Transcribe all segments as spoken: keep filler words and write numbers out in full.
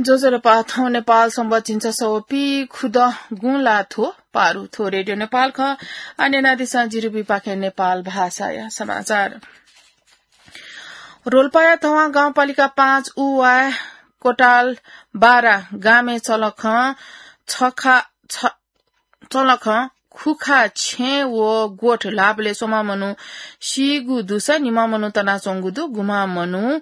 ज्वजलपा, थौं नेपाल संवत झिंछसः व पीखुदँ गुंलाथ्व पारु। थ्व रेडियो नेपाल खः। आः न्यनादिसँ जिरिबुइपाखें नेपाल भाषाया समाचार। रोल्पाया धवां गाउँपालिका पाँच उवाय् कोटाल बारा गामय् चलखं छखा, छ, चलखं खुखा छेँ व गोठ ल्हाःबलय् स्वम्ह मनू सीगु दुसा निम्ह मनू तनाच्वंगु दु, गुम्ह मनू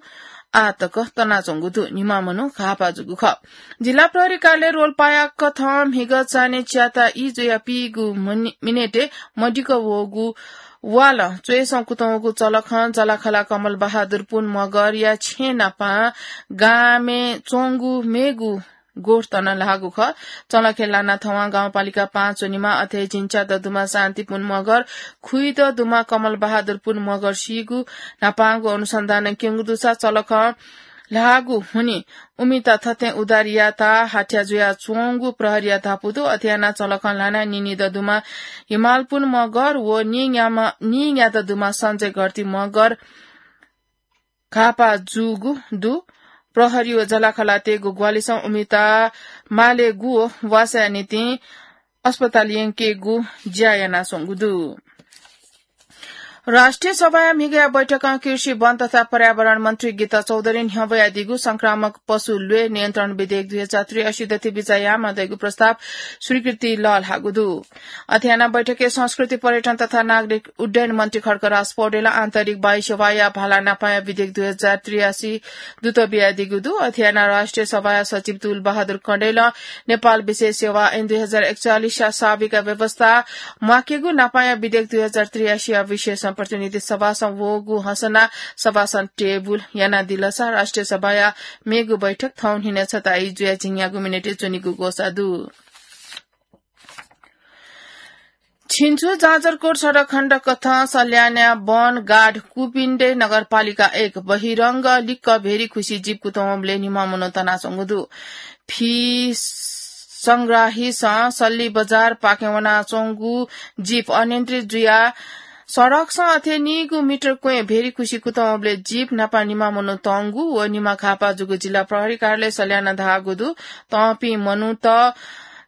आः तक तनाच्वंगु दु, निम्ह मनू घाःपाः जूगु खः। जिल्ला प्रहरी कार्यालय रोल्पाया कथं म्हिगः चान्हय् च्याता ई जुयाः पीगु मनि-, मिनेटय् मदिक्क वःगु वालं च्वय्सं कुतंगु चलखं जलाखला कमल बहादुर पुन मगरया छेँ नापं गामय् च्वंगु मेगु गोठ तनं ल्हाःगु खः। चलखय् लाना धवां गाउँपालिका पाँच व निम्ह, अथे झिंच्यादँ दुम्ह शान्ति पुन मगर, खुइदँ दुम्ह कमल बहादुर पुन मगर सीगु न्हापांगु अनुसन्धानं क्यंगु दुसा चलखं ल्हाःगु हुनिं उमित थथे उद्धार यायेत हाथ्या जुयाच्वंगु प्रहरीया धापू दु। अथे यानाः चलखं ल्हानाः नीनिदँ दुम्ह हिमाल पुन मगर व नीन्याम्ह, नीन्यादँ दुम्ह सञ्जय घरती मगर घाःपाः जूगु दु। प्रहरी व जलाखलातय्गु ग्वाहालिसं उमित मालेगु व वासःया निंतिं अस्पताल यंकेगु ज्या यानाच्वंगु दु। राष्ट्रिय सभाया म्हिगःया बैठकं कृषि, वन तथा पर्यावरण मन्त्री गीता चौधरीं न्ह्यब्वयादीगु संक्रामक पशु ल्वय् नियन्त्रण विधेयक दुई हजार त्रियासी दथि बिचाः यायेमाः धइगु प्रस्ताव स्वीकृति लःल्हाःगु दु। अथे यानाः बैठकय् संस्कृति, पर्यटन तथा नागरिक उड्डयन मन्त्री खड्गराज पौडेलं आन्तरिक वायु सेवाया भाला नापाया विधेयक दुई हजार त्रियासी दूत बियादीगु दु। अथे यानाः राष्ट्रिय सभाया सचिव तुल बहादुर कँडेलं नेपाल विशेष सेवा ऐन दुई हजार एकचालिसया साविका व्यवस्था म्वाकेगु नापाया विधेयक दुई हजार त्रियासीया विषयसं प्रतिनिधि सभासं वःगु हँसना सभासं टेबुल यानादिलसा राष्ट्रिय सभाया मेगु बैठक थौं न्हिनय् छता ई जुयाः झिंन्यागू मिनेटय् च्वनीगु ग्वसाः दु। छिन्चु जाजरकोट सडक खण्ड कथं सल्यानया वन गार्ड कुपिण्डे नगरपालिका एक बहिरंग लिक्क भेरी खुसी जीप कुतंबलय् निम्ह मनू तनाच्वंगु दु। फि संग्राहीसं सल्ली बजारपाखें वनाच्वंगु जीप अनियन्त्रित जुयाः सडकसं अथे नीगू मिटर क्वँय् भेरी खुसी कुतंबलय् जीप न्हापा निम्ह मनू तंगु व निम्ह घाःपाः जूगु जिल्ला प्रहरी कार्यालय सल्यानं धाःगु दु। तंपिं मनूत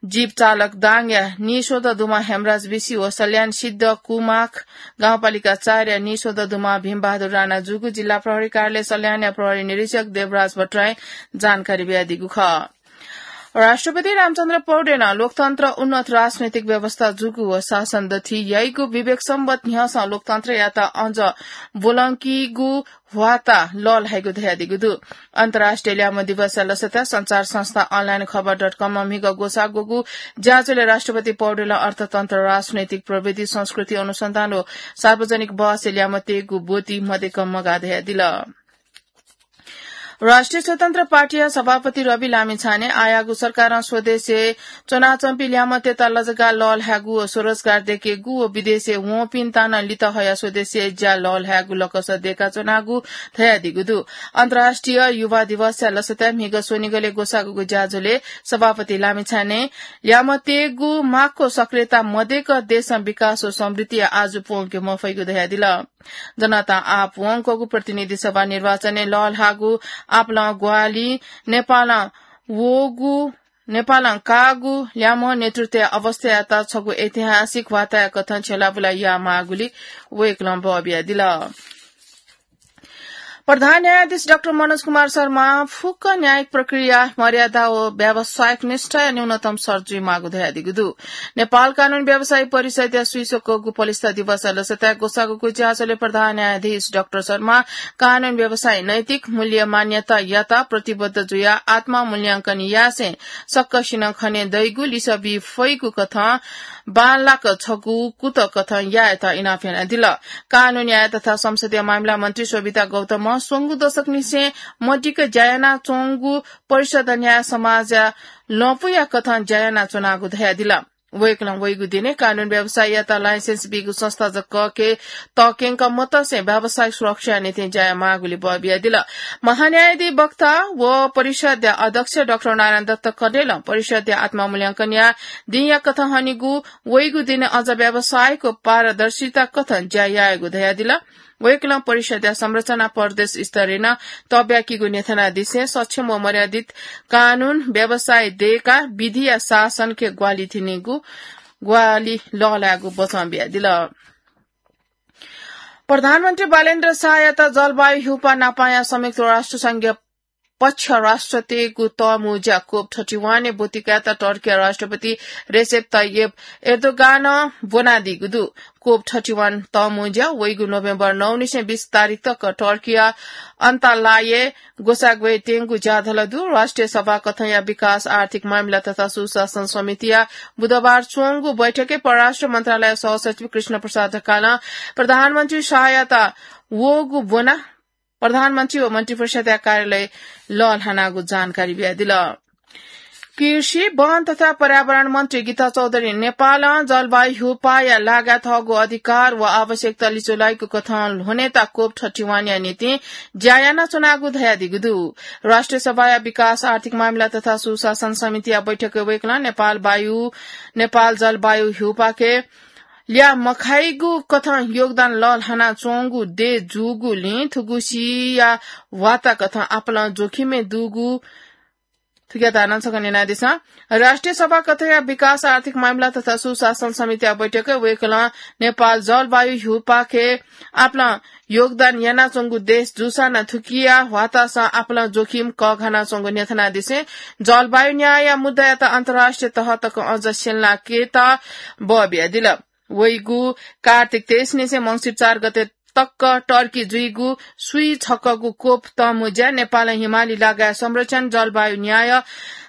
जीप चालक दाङया नीस्वदँ दुम्ह हेमराज बिसि व सल्यान सिद्ध कुमाख गाउँपालिका चारया नीस्वदँ दुम्ह भीमबहादुर राणा जूगु जिल्ला प्रहरी कार्यालय सल्यानया प्रहरी निरीक्षक देवराज भट्टराईं जानकारी बियादीगु खः। राष्ट्रपति रामचन्द्र पौडेलं लोकतन्त्र उन्नत राजनैतिक व्यवस्था जूगु व शासन दथुइ याइगु विवेक सम्बत न्ह्यसं लोकतन्त्रयात अझ ब्वलंकीगु ह्वाःता लःल्हाइगु धयादीगु दु। अन्तर्राष्ट्रिय ल्याय्म्ह दिवसया लसताय् सञ्चार संस्था online खबर dot com म्हिगः ग्वसाः ग्वःगु ज्याझ्वलय् राष्ट्रपति पौडेलं अर्थतन्त्र, राजनैतिक प्रविधि, संस्कृति अनुसन्धान व सार्वजनिक बहसय् ल्याय्म्ह तयेगु ब्वति मदय्क मगाः धयादिल। राष्ट्रिय स्वतन्त्र पार्टीया सभापति रवि लामिछानें आःयागु सरकारं स्वदेशय् च्वनाच्वंपिं ल्याय्म्हतय्त लजगाः लःल्हायेगु व स्वरोजगार दयेकेगु व विदेशय् वंपिन्त नं लित हयाः स्वदेशय् ज्या लःल्हायेगु लकस दयेकाच्वनागु धयादीगु दु। अन्तर्राष्ट्रिय युवा दिवसया लसताय् म्हिगः स्वनिगलय् ग्वसाःगु ज्याझ्वलय् सभापति लामिछानें ल्याय्म्हतय्गु माक्व सक्रियता मदय्क देशं विकास व समृद्धिया आजु प्वंके मफइगु धयादिल। जनतां आः वंकूगु प्रतिनिधि सभा निर्वाचनय् लःल्हाःगु आपालं ग्वाहालि नेपालं वःगु, नेपालं काःगु ल्याय्म्ह नेतृत्वया अवस्थायात छगू ऐतिहासिक ह्वाःताया कथं छ्यलाबुला यायेमाःगुली वय्कलं बः बियादिल। प्रधान न्यायाधीश डाक्टर मनोज कुमार शर्मा फुक्क न्यायिक प्रक्रिया मर्यादा व व्यावसायिक निष्ठाया न्यूनतम शर्त जुइमाःगु धयादीगु दु। नेपाल कानून व्यवसायी परिषदया स्वीस्वकःगु पलिस्था दिवसया लसताय् ग्वसाःगु ज्याझ्वलय् प्रधान न्यायाधीश डाक्टर शर्मा कानून व्यवसायी नैतिक मूल्य मान्यतायात प्रतिबद्ध जुयाः आत्ममूल्यांकन यासें सकसिनं खने दइगु लिसः बी फइगु कथं बांलाक छगू कुतः कथं यायेत इनाप यानादिल। कानून न्याय तथा संसदीय मामिला मन्त्री शोभिता गौतमं स्वंगू दशकनिसें मदिक्क ज्या यानाच्वंगु परिषद न्याय समाजया लँपुया कथं ज्या यानाच्वनागु धयादिल। वय्कलं वइगु दिनय् कानून व्यवसायीयात लाइसेन्स बीगु संस्था जक के तक्यंक मतसे व्यावसायिक सुरक्षाया निंतिं ज्या यायेमाःगुली बः बियादिल। महान्यायाधिवक्ता व परिषदया अध्यक्ष डाक्टर नारायण दत्त कँडेलं परिषदया आत्ममूल्यांकनया दिंया कथं हनेगु वइगु दिनय् अझ व्यावसायिक व पारदर्शिता कथं ज्या यायेगु धयादिल। वय्कलं परिषदया संरचना प्रदेश स्तरय् नं तब्याकीगु न्ह्यथनादिसें सक्षम व मर्यादित कानून व्यवसाय दयेकाः विधिया शासनके ग्वाहालि थिनेगु ग्वाहालि लःल्हायेगु वचं बियादिल। प्रधानमन्त्री बालेन्द्र शाहयात जलवायु ह्यूपाः नापांया संयुक्त राष्ट्र संघीय पक्ष राष्ट्रतय्गु तःमुँज्या कोप थर्टी वान ब्वति कायेत टर्कीया राष्ट्रपति रेसेप तय्यप एर्दोगानं ब्वनादीगु दु। कोप थर्टी वान तःमुँज्या वइगु नोभेम्बर नौ निसें बीस तारिख तक टर्कीया अन्तालाय् ग्वसाः ग्वयेत्यंगु ज्याझ्वः दु। राष्ट्रिय सभा कथंया विकास, आर्थिक मामिला तथा सुशासन समितिया बुधबार च्वंगु बैठकय् परराष्ट्र मन्त्रालय सहसचिव कृष्ण प्रसाद ढकालं प्रधानमन्त्री शाहयात वःगु ब्वनाः प्रधानमन्त्री व मन्त्रिपरिषदया कार्यालय लःल्हानागु जानकारी बियादिल। कृषि, वन तथा पर्यावरण मन्त्री गीता चौधुरीं नेपालं जलवायु ह्यूपाःया लागाय् थःगु अधिकार व आवश्यकता लिचुलाइगु कथं ल्ह्वनेत कोप थर्टी वानया निंतिं ज्या यानाच्वनागु धयादीगु दु। राष्ट्रिय सभाया विकास, आर्थिक मामिला तथा सुशासन समितिया बैठकय् वय्कलं नेपाल वायु, नेपाल जलवायु ह्यूपाःके ल्याः मखाइगु कथं योगदान लःल्हानाच्वंगु देय् जूगुलिं थुगुसिया ह्वाःता कथं आपालं जोखिमय् दुगु थुकिया धारणा छकः न्यनादिसँ। राष्ट्रिय सभा कथंया विकास, आर्थिक मामिला तथा सुशासन समितिया बैठकय् वय्कलं नेपाल जलवायु ह्यूपाःके आपालं योगदान यानाच्वंगु देश जूसां नं थुकिया ह्वाःतासं आपालं जोखिम कःघानाच्वंगु न्ह्यथनादिसें जलवायु न्यायया मुद्दायात अन्तर्राष्ट्रिय तह तक अझ स्यंलाकेत बः बियादिल। वइगु कार्तिक तेइस निसें मंसिर चार गते तक टर्की जुइगु स्वीछक्वःगु कोप तःमुँज्या नेपालं हिमाली लागाय् संरक्षण, जलवायु न्याय,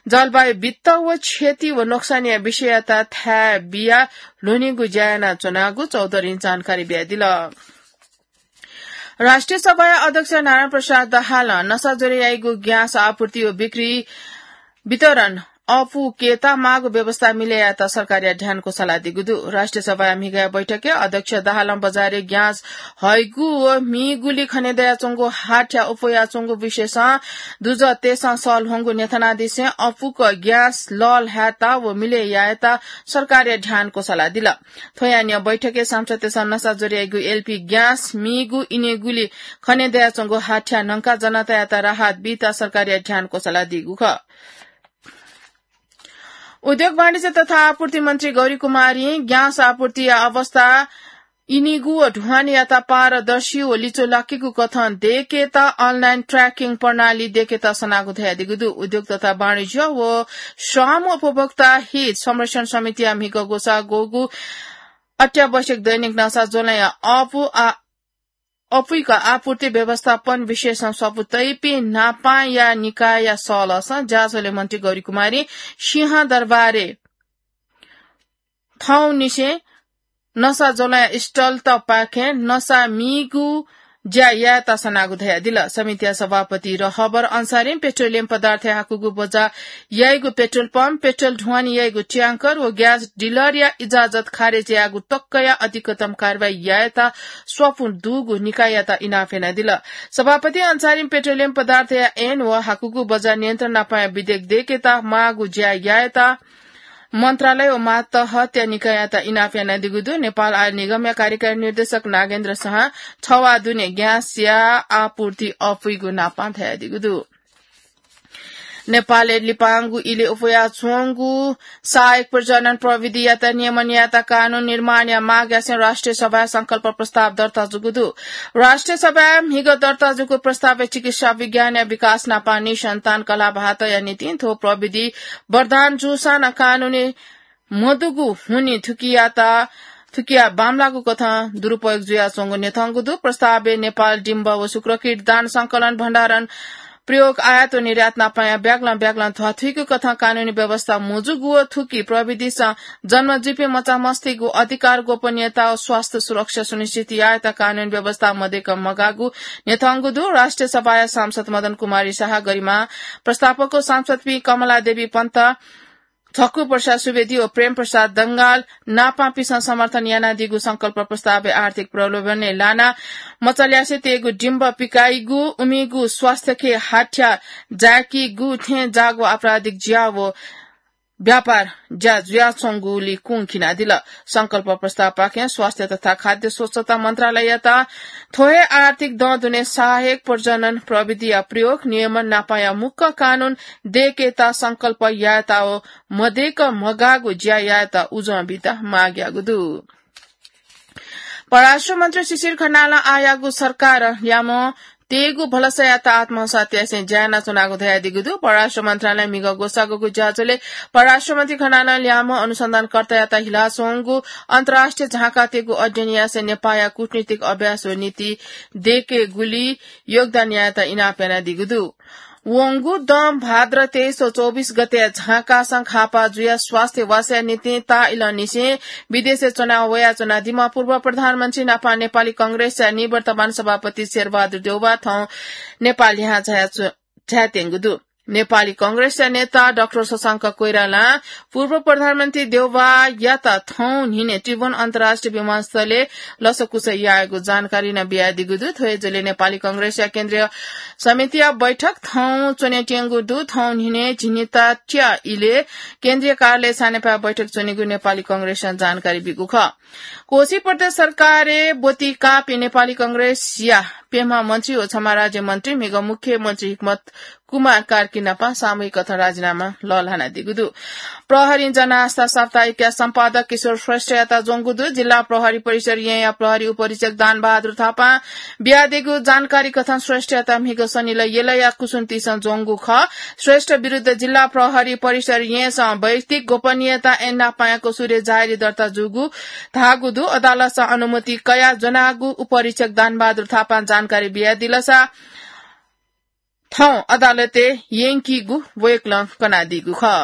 जलवायु वित्त व क्षति व नोक्सानया विषययात थाय् बियाः ल्ह्वनीगु ज्या यानाच्वनागु चौधुरीं जानकारी बियादिल। राष्ट्रिय सभाया अध्यक्ष नारायण प्रसाद दाहालं नसा ज्वरय् याइगु ग्यास आपूर्ति व बिक्री वितरण अःपुकेत माःगु व्यवस्था मिले यायेत सरकारया ध्यानको सल्लाह दीगु दु। राष्ट्रिय सभाया म्हिगःया बैठकय् अध्यक्ष दाहालं बजारय् ग्यास हइगु व मीगुली खने दयाच्वंगु हाथ्या अप्वयाच्वंगु विषयसं दुजःतय्सं सल्ह्वंगु न्ह्यथनादिसें अःपुक ग्यास लःल्हायेत व मिले यायेत सरकारया ध्यानको सल्लाह दिल। थ्वया न्ह्यः बैठकय् सांसदतय्सं नसा ज्वरय् याइगु एलपी ग्यास मीगु इनेगुली खने दयाच्वंगु हाथ्या न्हंकाः जनतायात राहत बीत सरकारया ध्यानको सल्लाह दीगु खः। उद्योग, वाणिज्य तथा आपूर्ति मन्त्री गौरी कुमारीं ग्यास आपूर्तिया अवस्था इनिगु व ढुवानीयात पारदर्शी व लिचुलाकीगु कथं दयेकेत अनलाइन ट्र्याकिङ प्रणाली दयेकेत सनागु धयादीगु दु। उद्योग तथा वाणिज्य व श्रम उपभोक्ता हित संरक्षण समितिया म्हिगः ग्वसाः ग्वःगु अत्यावश्यक दैनिक नसा ज्वलंया अःपु आ-, अःपुइक आपूर्ति व्यवस्थापन विषयसं स्वापू तइपिं न्हापांया निकायया सलसं ज्याझ्वलय् मन्त्री गौरी कुमारीं सिंहदरबारय् थौंनिसें नसा ज्वलंया स्टलतपाखें नसा मीगु ज्या यायेत सनागु धयादिल। समितिया सभापति रहबर अन्सारीं पेट्रोलियम पदार्थ हाकूगु बजा याइगु पेट्रोल पम्प, पेट्रोल ढुवानी याइगु ट्याङ्कर व ग्यास डिलरया इजाजत खारेज यायेगु तकया अधिकतम कारवाही यायेत स्वापू दुगु निकाययात इनाप यानादिल। सभापति अन्सारीं पेट्रोलियम पदार्थया ऐन व हाकूगु बजा नियन्त्रण नापंया विधेयक दयेकेत माःगु ज्या यायेत मन्त्रालय व मातहतया निकाययात इनाप यानादीगु दु। नेपाल आयल निगमया कार्यकारी निर्देशक नागेन्द्र शाहं थवा दुने ग्यासया आपूर्ति अःपुइगु नापं धयादीगु दु। नेपालय् लिपांगु इलय् अप्वयाच्वंगु सहायक प्रजनन प्रविधियात नियमन यायेत कानून निर्माणया माग यासें राष्ट्रिय सभाय् संकल्प प्रस्ताव दर्ता जूगु दु। राष्ट्रिय सभाय् म्हिगः दर्ता जूगु प्रस्तावय् चिकित्सा विज्ञानया विकास नापं निसन्तान कलाभातया निंतिं थ्व प्रविधि वरदान जूसां नं कानूनी मदुगु हुनिं थुकियात, थुकिया बांमलाःगु कथं दुरुपयोग जुयाच्वंगु न्ह्यथंगु दु। प्रस्तावय् नेपाल डिम्ब व शुक्रकीट दान संकलन, भण्डारण, प्रयोग, आयात व निर्यात नापंया ब्यागलं ब्यागलं ध्वाथुइगु कथं कानूनी व्यवस्था मजूगु व थुकी प्रविधिसं जन्म जुइपिं मचामस्तय्गु अधिकार, गोपनीयता व स्वास्थ्य सुरक्षा सुनिश्चित यायेत कानूनी व्यवस्था मदय्क मगाःगु न्ह्यथंगु दु। राष्ट्रिय सभाया सांसद मदन कुमारी शाह, गरिमा प्रस्तावक व सांसदपिं कमला देवी पन्त, झक्कु प्रसाद सुवेदी व प्रेम प्रसाद दंगाल नापंपिसं समर्थन यानादीगु संकल्प प्रस्तावय् आर्थिक प्रलोभनय् लानाः मचाल्यासे तयेगु डिम्ब पिकाइगु, उमिगु स्वास्थ्यके हाथ्या जाय्कीगु थें जाःगु आपराधिक ज्या व व्यापार ज्या जुयाच्वंगुली कुंखिनादिल। संकल्प प्रस्तावपाखें स्वास्थ्य तथा खाद्य स्वच्छता मन्त्रालययात थ्व हे आर्थिक दँ दुने सहायक प्रजनन प्रविधिया प्रयोग, नियमन नापाया मुक्क कानून दय्केत संकल्प यायेत व मदय्क मगाःगु ज्या यायेत उजं बीत माग याःगु दु। परराष्ट्र मन्त्री शिशिर खनालं आःयागु सरकार ल्यामं तयेगु भलसायात आत्महसा त्यासें ज्या यानाच्वनागु धयादीगु दु। परराष्ट्र मन्त्रालयं म्हिगः ग्वसाःगुगु ज्याझ्वलय् परराष्ट्र मन्त्री खनालं ल्यामं अनुसन्धानकर्तायात हिलाच्वंगु अन्तर्राष्ट्रिय झाँकातय्गु अध्ययन यासें नेपाःया कूटनीतिक अभ्यास व नीति दय्केगुली योगदान यायेत इनाप यानादीगु दु। वंगु दँ भाद्र तेइस व चौबिस गते झाँकासं खापा जुयाः स्वास्थ्य वासया निंतिं ताःइलंनिसें विदेशय् च्वना वयाच्वनादीम्ह पूर्व प्रधानमन्त्री नापं नेपाली कांग्रेसया निवर्तमान सभापति शेरबहादुर देउवा थौं नेपाः लिहां झाया च्व-, झायात्यंगु दु। नेपाली कांग्रेसया नेता डाक्टर शशांक कोइरालां पूर्व प्रधानमन्त्री देउवायात थौं न्हिनय् त्रिभुवन अन्तर्राष्ट्रिय विमानस्थलय् लसकुस याःगु जानकारी नं बियादीगु दु। थ्व हे झ्वलय् नेपाली कांग्रेसया केन्द्रीय समितिया बैठक थौं च्वनेत्यंगु दु। थौं न्हिनय् झिंनिता च्या इलय् केन्द्रीय कार्यालय सानेपाय् बैठक च्वनीगु नेपाली कांग्रेसं जानकारी बीगु खः। कोशी प्रदेश सरकारय् ब्वति काःपिं नेपाली कांग्रेसया प्यम्ह मन्त्री व छम्ह राज्यमन्त्री म्हिगः मुख्यमन्त्री हिक्मत कुमार कार्की नापं सामूहिक कथं राजीनामा लःल्हानादीगु दु। प्रहरीं जनआस्था साप्ताहिकया सम्पादक किशोर श्रेष्ठयात ज्वंगु दु। जिल्ला प्रहरी परिसर येँया प्रहरी उपरीक्षक दानबहादुर थापां बियादीगु जानकारी कथं श्रेष्ठयात म्हिगः शनिलय् यलया कुसुन्तीसं ज्वंगु खः। श्रेष्ठ विरुद्ध जिल्ला प्रहरी परिसर येँसं वैयक्तिक गोपनीयता ऐन नापंया कसुरय् जाहेरी दर्ता जूगु धाःगु दु। अदालतसं अनुमति कयाः ज्वनागु उपरीक्षक दानबहादुर थापां जानकारी बियादिलसा थौं अदालतय् यंकीगु वय्कलं कनादीगु खः।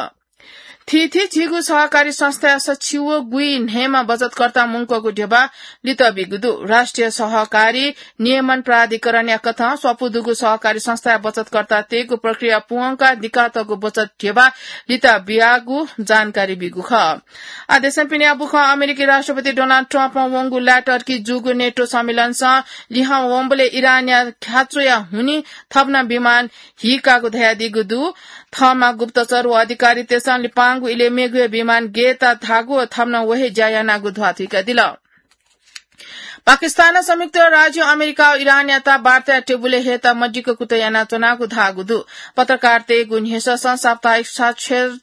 थीथी झीगु सहकारी संस्थाया सछि व गुइ न्हय्म्ह बचतकर्ता मुंकूगु ध्यबा लित बीगु दु। राष्ट्रिय सहकारी नियमन प्राधिकरणया कथं स्वापू दुगु सहकारी संस्थाया बचतकर्तातय्गु प्रक्रिया पूवंकाः दिकातःगु बचत ध्यबा लित बियागु जानकारी बीगु खः। आ देशं पिने बुखं अमेरिकी राष्ट्रपति डोनाल्ड ट्रम्पं वंगु ला टर्की जूगु नेटो सम्मेलनसं लिहां वंबलय् इरानया ख्याच्वया हुनिं थप नं विमान हीकागु धयादीगु दु। थःम्हं गुप्तचर व अधिकारीतय्सं लिपांगु इलय् मेगु हे विमान गय् धाःगु व थप नं व हे ज्या यानागु ध्वाथुइकादिल। पाकिस्तानं संयुक्त राज्य अमेरिका व इरानयात वार्ताया टेबुलय् हयेत मदिक्क कुतः यानाच्वनागु धाःगु दु। पत्रकारतय्गु न्ह्यसःसं साप्ताहिक साक्षर-,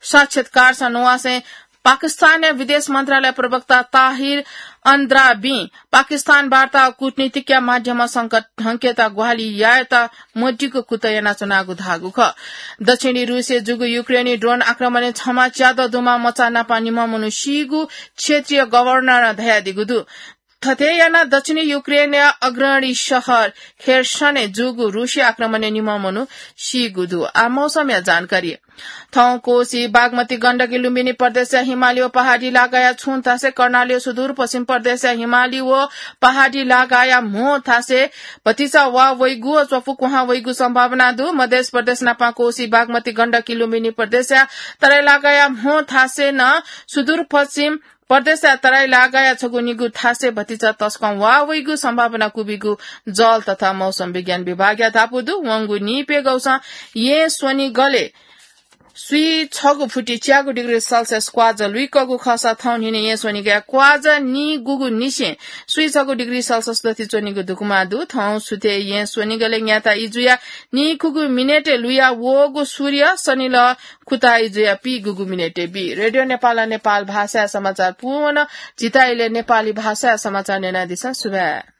साक्षात्कारसं नुहासें पाकिस्तानया विदेश मन्त्रालय प्रवक्ता ताहिर अन्द्राबीं पाकिस्तान वार्ता व कूटनीतिकया माध्यमं संकट ढंकेत ग्वाहालि यायेत मदिक्क कुतः यानाच्वनागु धाःगु खः। दक्षिणी रूसय् जूगु युक्रेनी ड्रोन आक्रमणय् छम्ह च्यादँ दुम्ह मचा नाप निम्ह मनू सीगु क्षेत्रीय गभर्नरं धयादीगु दु। थथे यानाः दक्षिणी युक्रेनया अग्रणी शहर खेर्सनय् जूगु रूसी आक्रमणय् निम्ह मनू सीगु दु। आ मौसमया जानकारी। थौं कोशी, बागमती, गण्डकी, लुम्बिनी प्रदेशया हिमाली व पहाडी लागाया छुं थासय्, कर्णाली व सुदूरपश्चिम प्रदेशया हिमाली व पहाडी लागाया म्हो थासय् भतिचा वा वइगु व च्वपु कुहां वइगु सम्भावना दु। मधेश प्रदेश नापं कोशी, बागमती, गण्डकी, लुम्बिनी प्रदेशया तराई लागाया म्हो थासय् नं सुदूरपश्चिम प्रदेशया तराई लागाया छगू निगू थासय् भतिचा तसकं वा वइगु सम्भावना क्वबिगु जल तथा मौसम विज्ञान विभागया धापू दु। वंगु निइप्यघौसं येँ स्वनिगलय् स्वीछगू फुति च्यागू डिग्री सेल्सियस क्वाःजा लुइकूगु खःसा थौं न्हिनय् येँ स्वनिगलय् क्वाःजा निगूगुनिसें स्वीछगू डिग्री सेल्सियस दथुइ च्वनीगु धुकुमा दु। थौं सुथय् येँ स्वनिगलय् न्याता इजुया निखुगू मिनेटय् लुया वःगु सूर्य शनिलः खुता इजुया पीगूगु मिनेटय् बी। रेडियो नेपालं नेपाल भाषाया समाचार पूवन। झीत इलय् नेपाली भाषाया समाचार न्यनादिसँ। सुभाय्।